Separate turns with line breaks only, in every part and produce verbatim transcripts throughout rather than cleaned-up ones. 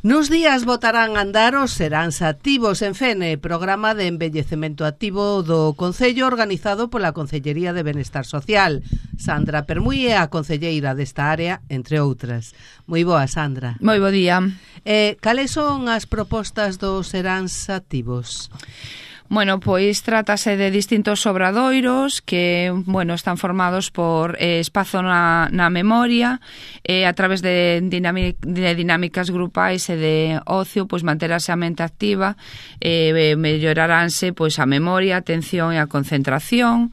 Nos días botarán a andar os seráns activos en Fene, programa de envellecemento activo do Concello organizado pola Concellería de Benestar Social. Sandra Permuy é a concelleira desta área, entre outras. Moi boa, Sandra.
Moi bo día.
Eh, cales son as propostas dos seráns activos?
Bueno, pois trátase de distintos obradoiros que, bueno, están formados por eh, espazo na, na memoria, eh, a través de, dinamic, de dinámicas grupais e de ocio, pois manterase a mente activa, eh, melloraránse pois a memoria, a atención e a concentración.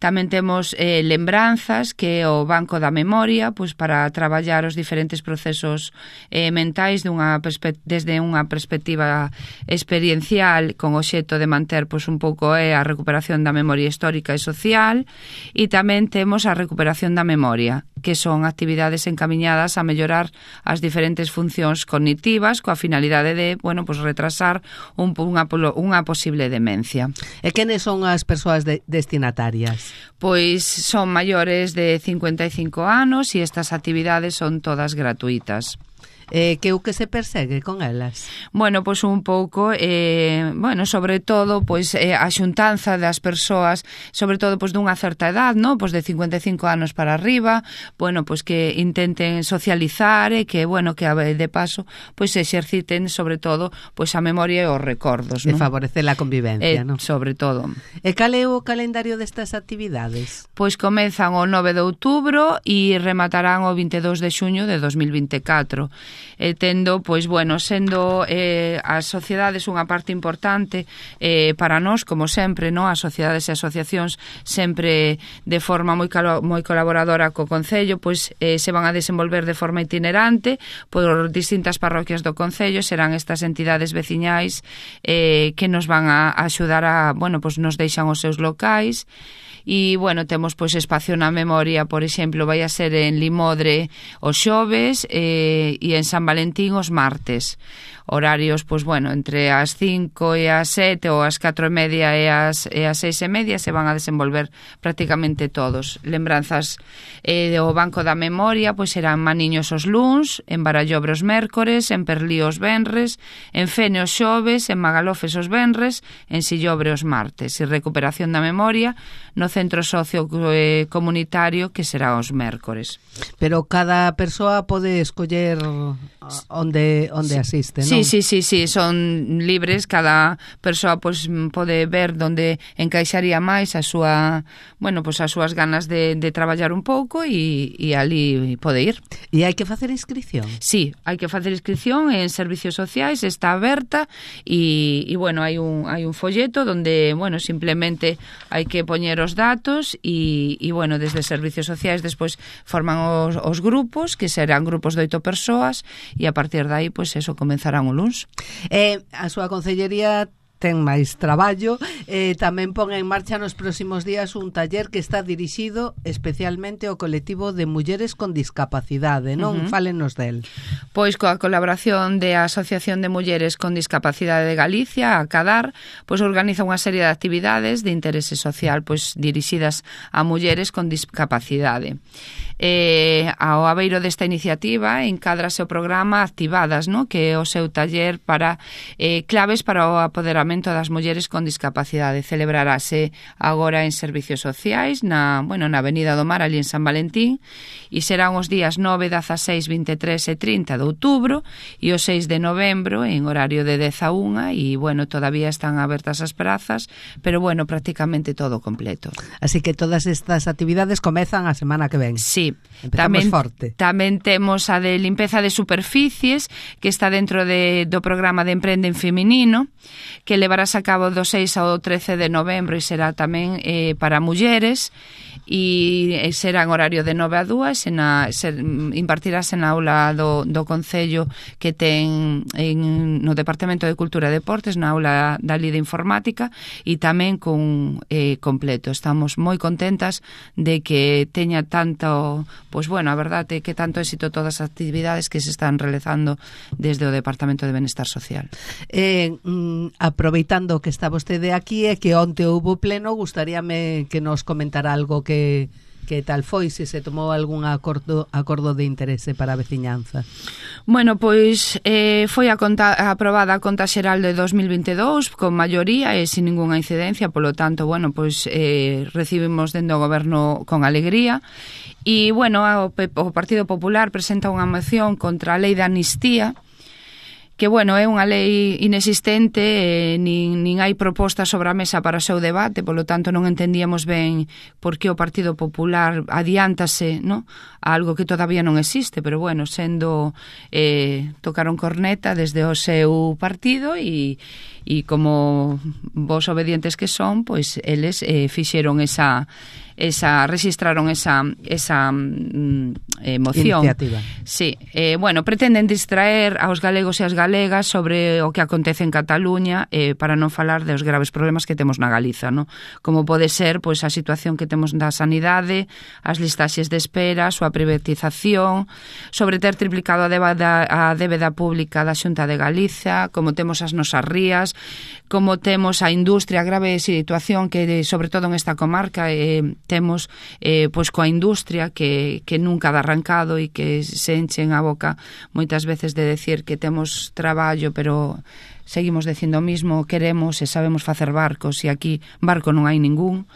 Tamén temos eh, lembranzas, que é o banco da memoria, pois para traballar os diferentes procesos eh, mentais dunha desde unha perspectiva experiencial con o xeito de manter pois un pouco é a recuperación da memoria histórica e social, e tamén temos a recuperación da memoria, que son actividades encamiñadas a mellorar as diferentes funcións cognitivas coa finalidade de, bueno, pois retrasar un, unha, unha posible demencia.
E quenes son as persoas de, destinatarias?
Pois son maiores de cincuenta e cinco anos e estas actividades son todas gratuitas.
Eh, que o que se persegue con elas?
Bueno, pois un pouco, eh, bueno, sobre todo, pois eh, a xuntanza das persoas, sobre todo pois dunha certa edad, no, pois de cincuenta e cinco anos para arriba, bueno, pois que intenten socializar e que, bueno, que de paso, pois exerciten sobre todo, pois a memoria e os recordos,
no? E
favorecer
a convivencia,
eh,
no?
Sobre todo.
E cal é o calendario destas actividades?
Pois comezan o nove de outubro e rematarán o vinte e dous de xuño de dos mil vinte e catro. E tendo, pois, bueno, sendo eh, as sociedades unha parte importante eh, para nós, como sempre, no? As sociedades e asociacións sempre de forma moi, calo, moi colaboradora co Concello, pois eh, se van a desenvolver de forma itinerante por distintas parroquias do Concello. Serán estas entidades veciñais eh, que nos van a axudar a, bueno, pois nos deixan os seus locais. E, bueno, temos pois espacio na memoria, por exemplo, vai a ser en Limodre os xoves eh, e en San Valentín os martes. Horarios, pois, bueno, entre as cinco e as sete ou as catro e media e as, e as seis e media se van a desenvolver prácticamente todos. Lembranzas eh, do Banco da Memoria, pois serán Maniños os luns, en Barallobre os mércores, en Perlío os venres, en Fene os xoves, en Magalofes os venres, en Sillobre os martes. E recuperación da memoria no Centro Socio eh, Comunitario, que será os mércores.
Pero cada persoa pode escoller onde, onde
sí.
asiste, non?
Sí, sí, sí, sí, son libres, cada persoa pois pode ver onde encaixaría máis a súa, bueno, pois as súas ganas de, de traballar un pouco e, e ali pode ir.
E hai que facer inscripción?
Sí, hai que facer inscripción en servicios sociais, está aberta e, e bueno, hai un, hai un folleto donde, bueno, simplemente hai que poñer os datos e, e bueno, desde servicios sociais despois forman os, os grupos, que serán grupos de oito persoas e a partir de aí, pois eso, comenzarán o luns.
Eh, a súa concellería ten máis traballo, eh, tamén pon en marcha nos próximos días un taller que está dirixido especialmente ao colectivo de mulleres con discapacidade, non? Uh-huh. Fálenos del.
Pois coa colaboración da Asociación de Mulleres con Discapacidade de Galicia, a CADAR, pois organiza unha serie de actividades de interese social pois dirixidas a mulleres con discapacidade. Eh, ao abeiro desta iniciativa encádrase o programa Activadas, no? Que é o seu taller para eh, claves para o apoderamento das mulleres con discapacidade. Celebrarase agora en servicios sociais na, bueno, na Avenida do Mar, ali en San Valentín, e serán os días nove, dezaseis, vinte e tres e trinta de outubro e o seis de novembro en horario de dez a unha e, bueno, todavía están abertas as prazas, pero, bueno, prácticamente todo completo.
Así que todas estas actividades comezan a semana que ven.
Sí.
Empezamos
tamén,
forte.
Tamén temos a de limpeza de superficies, que está dentro de, do programa de Emprende en Feminino, que levarás a cabo do seis ao trece de novembro e será tamén eh, para mulleres e será en horario de nove a dúas e na, ser, impartirás en aula do, do Concello que ten en, no Departamento de Cultura e Deportes, na aula da Lida Informática e tamén con eh, completo. Estamos moi contentas de que teña tanto, pois bueno, a verdade é que tanto éxito todas as actividades que se están realizando desde o Departamento de Benestar Social.
Eh, mm, aproveitando que está vostede aquí e que onte houbo pleno, gustaríame que nos comentara algo que Que tal foi, se se tomou algún acordo, acordo de interese para a veciñanza?
Bueno, pois eh, foi a conta, aprobada a Conta Xeral de dos mil vinte e dous con maioría e sin ninguna incidencia, polo tanto, bueno, pois eh, recibimos dentro do goberno con alegría. E, bueno, o, o Partido Popular presenta unha moción contra a lei de amnistía, que, bueno, é unha lei inexistente, eh, nin, nin hai propostas sobre a mesa para o seu debate, polo tanto non entendíamos ben por que o Partido Popular adiántase, no, a algo que todavía non existe, pero, bueno, sendo eh, tocaron corneta desde o seu partido e, e como vos obedientes que son, pois eles eh, fixeron esa esa registraron esa esa mm, eh, moción.
Iniciativa.
Sí, eh, bueno, pretenden distraer aos galegos e as galegas sobre o que acontece en Cataluña, eh, para non falar dos graves problemas que temos na Galiza, no? Como pode ser pois a situación que temos da sanidade, as listaxes de espera, a súa privatización, sobre ter triplicado a débeda, a débeda pública da Xunta de Galiza, como temos as nosas rías, como temos a industria, a grave situación que, sobre todo en esta comarca, eh, temos eh, pois coa industria que, que nunca dá arrancado e que se enchen a boca moitas veces de decir que temos traballo, pero seguimos dicindo o mismo, queremos e sabemos facer barcos e aquí barco non hai ningún.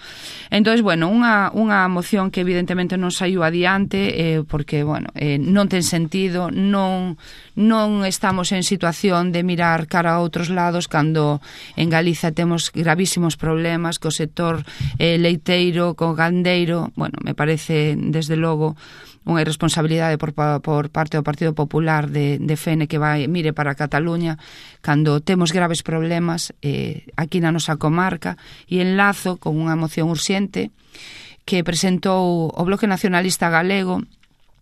Entón, bueno, unha, unha moción que evidentemente non saiu adiante eh, porque, bueno, eh, non ten sentido, non, non estamos en situación de mirar cara a outros lados cando en Galiza temos gravísimos problemas co sector eh, leiteiro, co gandeiro. Bueno, me parece, desde logo, unha irresponsabilidade por, por parte do Partido Popular de, de Fene que vai, mire para Cataluña cando temos graves problemas eh, aquí na nosa comarca, e enlazo con unha moción urxente que presentou o Bloque Nacionalista Galego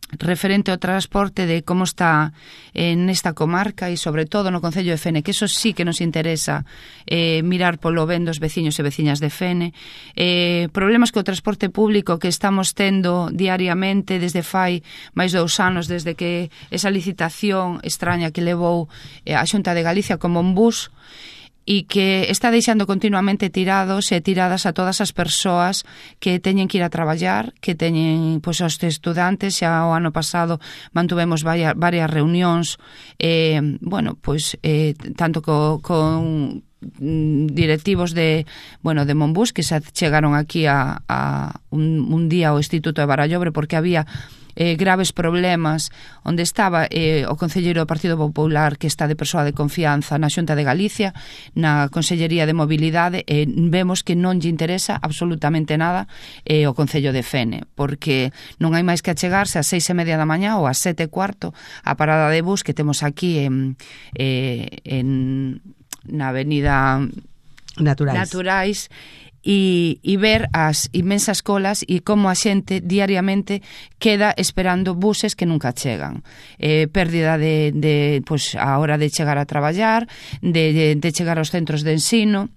referente ao transporte, de como está en esta comarca e sobre todo no Concello de Fene, que eso sí que nos interesa eh, mirar polo ben dos veciños e veciñas de Fene. Eh, problemas co transporte público que estamos tendo diariamente desde fai máis dous anos, desde que esa licitación extraña que levou eh, a Xunta de Galicia como un bus, e que está deixando continuamente tirados e tiradas a todas as persoas que teñen que ir a traballar, que teñen, pois, os estudantes. Xa o ano pasado mantuvemos varias, varias reunións, eh, bueno, pois, eh, tanto co, con directivos de, bueno, de Monbús, que se chegaron aquí a, a un, un día ao Instituto de Barallobre porque había Eh, graves problemas onde estaba eh, o concelleiro do Partido Popular, que está de persoa de confianza na Xunta de Galicia, na Consellería de Mobilidade, e eh, vemos que non lle interesa absolutamente nada eh, o Concello de Fene, porque non hai máis que achegarse ás seis e media da mañá ou ás sete e cuarto a parada de bus que temos aquí en, eh, en na avenida
Naturais,
Naturais E, e ver as inmensas colas e como a xente diariamente queda esperando buses que nunca chegan. Eh, pérdida de, de pois, a hora de chegar a traballar, de, de, de chegar aos centros de ensino.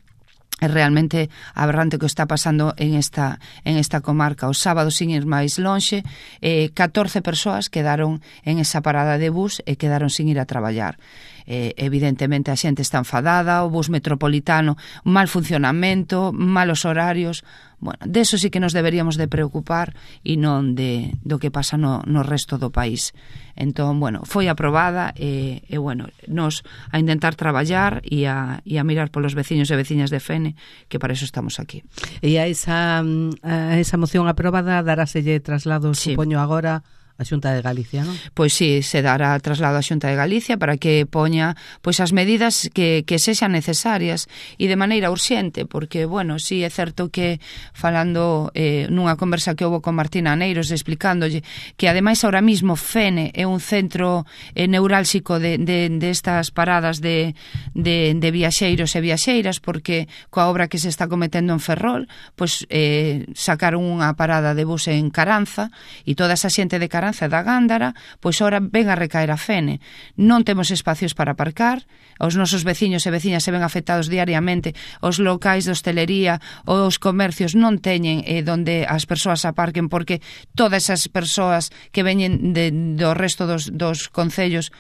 É realmente aberrante o que está pasando en esta, en esta comarca. O sábado, sin ir máis lonxe, eh, catorce persoas quedaron en esa parada de bus e quedaron sin ir a traballar. Eh, evidentemente a xente está enfadada, o bus metropolitano, mal funcionamento, malos horarios. Bueno, deso sí que nos deberíamos de preocupar e non de, do que pasa no, no resto do país. Entón, bueno, foi aprobada e, e bueno, nos a intentar traballar e a, e a mirar polos veciños e veciñas de Fene, que para eso estamos aquí.
E a esa, a esa moción aprobada daráselle traslado, sí, supoño agora, a Xunta de Galicia, non?
Pois sí, se dará traslado á Xunta de Galicia para que poña pois as medidas que, que sexan necesarias e de maneira urxente, porque, bueno, sí é certo que falando eh, nunha conversa que houve con Martina Aneiros explicándolle que ademais ahora mismo Fene é un centro eh, neurálxico de, de, de estas paradas de, de, de viaxeiros e viaxeiras, porque coa obra que se está cometendo en Ferrol, pois eh, sacaron unha parada de bus en Caranza e toda esa xente de Caranza da Gándara, pois ora ven a recaer a Fene. Non temos espacios para aparcar, os nosos veciños e veciñas se ven afectados diariamente, os locais de hostelería, os comercios non teñen eh, donde as persoas aparquen, porque todas esas persoas que veñen de, do resto dos, dos concellos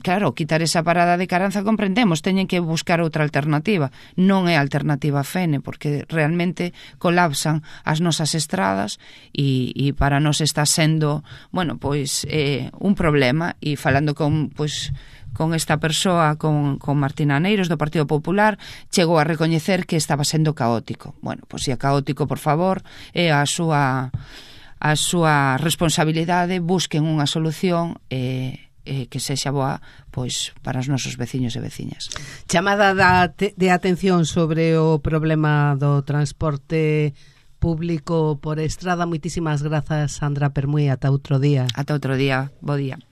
claro, quitar esa parada de Caranza comprendemos, teñen que buscar outra alternativa. Non é alternativa a Fene, porque realmente colapsan as nosas estradas e, e para nós está sendo, bueno, pois eh, un problema. E falando con, pois, con esta persoa, con, con Martina Aneiros do Partido Popular, chegou a recoñecer que estaba sendo caótico. Bueno, pois se é caótico, por favor, é a súa a súa responsabilidade, busquen unha solución e eh, que sexa boa pois para os nosos veciños e veciñas.
Chamada da te, de atención sobre o problema do transporte público por estrada. Moitísimas grazas, Sandra Permuy, ata outro día.
Ata outro día, bo día.